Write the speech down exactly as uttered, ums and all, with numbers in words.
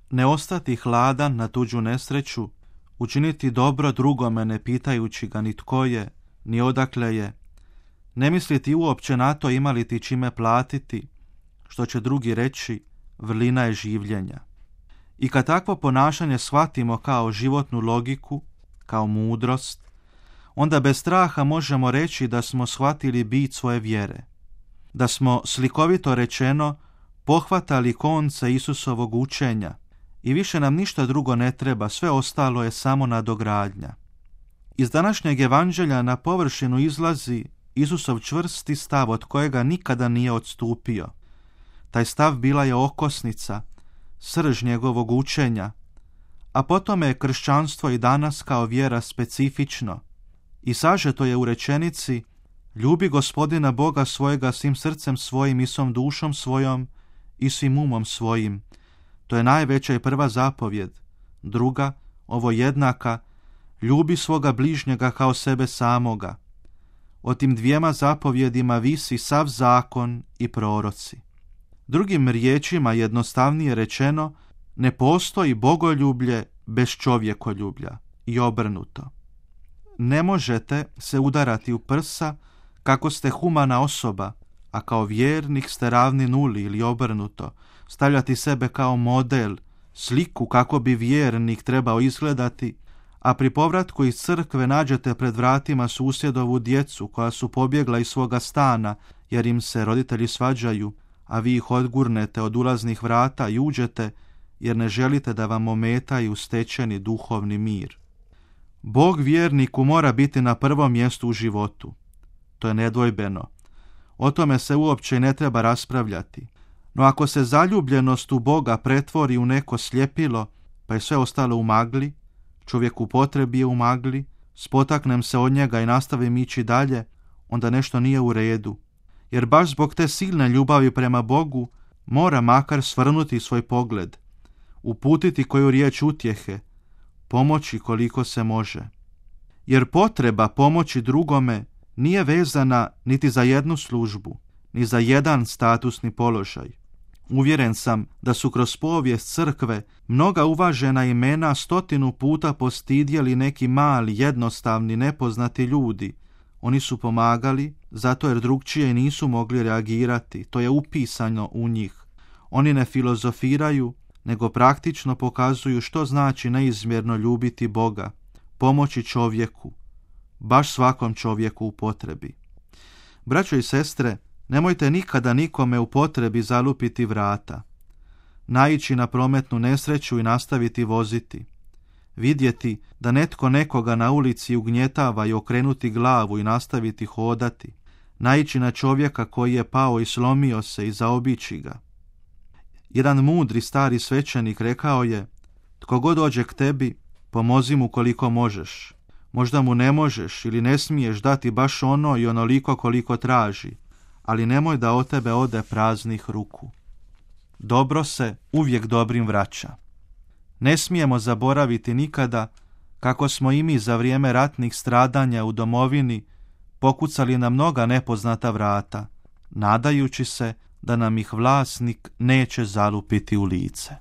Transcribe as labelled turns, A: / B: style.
A: ne ostati hladan na tuđu nesreću, učiniti dobro drugome ne pitajući ga ni tko je, ni odakle je, ne misliti uopće na to ima li ti čime platiti, što će drugi reći, vrlina je življenja. I kad takvo ponašanje shvatimo kao životnu logiku, kao mudrost, onda bez straha možemo reći da smo shvatili bit svoje vjere, da smo, slikovito rečeno, pohvatali konce Isusovog učenja i više nam ništa drugo ne treba, sve ostalo je samo nadogradnja. Iz današnjeg evanđelja na površinu izlazi Isusov čvrsti stav od kojega nikada nije odstupio. Taj stav bila je okosnica, srž njegovog učenja, a potom je kršćanstvo i danas kao vjera specifično i sažeto je u rečenici: ljubi Gospodina Boga svojega svim srcem svojim i svom dušom svojom i svim umom svojim. To je najveća i prva zapovjed. Druga, ovo jednaka, ljubi svoga bližnjega kao sebe samoga. O tim dvijema zapovjedima visi sav zakon i proroci. Drugim riječima, jednostavnije rečeno, ne postoji bogoljublje bez čovjekoljublja i obrnuto. Ne možete se udarati u prsa kako ste humana osoba, a kao vjernik ste ravni nuli ili obrnuto, stavljati sebe kao model, sliku kako bi vjernik trebao izgledati, a pri povratku iz crkve nađete pred vratima susjedovu djecu koja su pobjegla iz svoga stana jer im se roditelji svađaju, a vi ih odgurnete od ulaznih vrata i uđete jer ne želite da vam ometaju stečeni duhovni mir. Bog vjerniku mora biti na prvom mjestu u životu. To je nedvojbeno. O tome se uopće ne treba raspravljati. No ako se zaljubljenost u Boga pretvori u neko sljepilo, pa je sve ostalo u magli, čovjek u potrebi je u magli, spotaknem se od njega i nastavim ići dalje, onda nešto nije u redu. Jer baš zbog te silne ljubavi prema Bogu mora makar svrnuti svoj pogled, uputiti koju riječ utjehe, pomoći koliko se može. Jer potreba pomoći drugome nije vezana niti za jednu službu, ni za jedan statusni položaj. Uvjeren sam da su kroz povijest crkve mnoga uvažena imena stotinu puta postidjeli neki mali, jednostavni, nepoznati ljudi. Oni su pomagali zato jer drugčije nisu mogli reagirati, to je upisano u njih. Oni ne filozofiraju, nego praktično pokazuju što znači neizmjerno ljubiti Boga, pomoći čovjeku, baš svakom čovjeku u potrebi. Braćo i sestre, nemojte nikada nikome u potrebi zalupiti vrata, naići na prometnu nesreću i nastaviti voziti, vidjeti da netko nekoga na ulici ugnjetava i okrenuti glavu i nastaviti hodati, naići na čovjeka koji je pao i slomio se i zaobići ga. Jedan mudri stari svećenik rekao je: tko god dođe k tebi, pomozi mu koliko možeš. Možda mu ne možeš ili ne smiješ dati baš ono i onoliko koliko traži, ali nemoj da od tebe ode praznih ruku. Dobro se uvijek dobrim vraća. Ne smijemo zaboraviti nikada kako smo i mi za vrijeme ratnih stradanja u domovini pokucali na mnoga nepoznata vrata, nadajući se da nam ih vlasnik neće zalupiti u lice.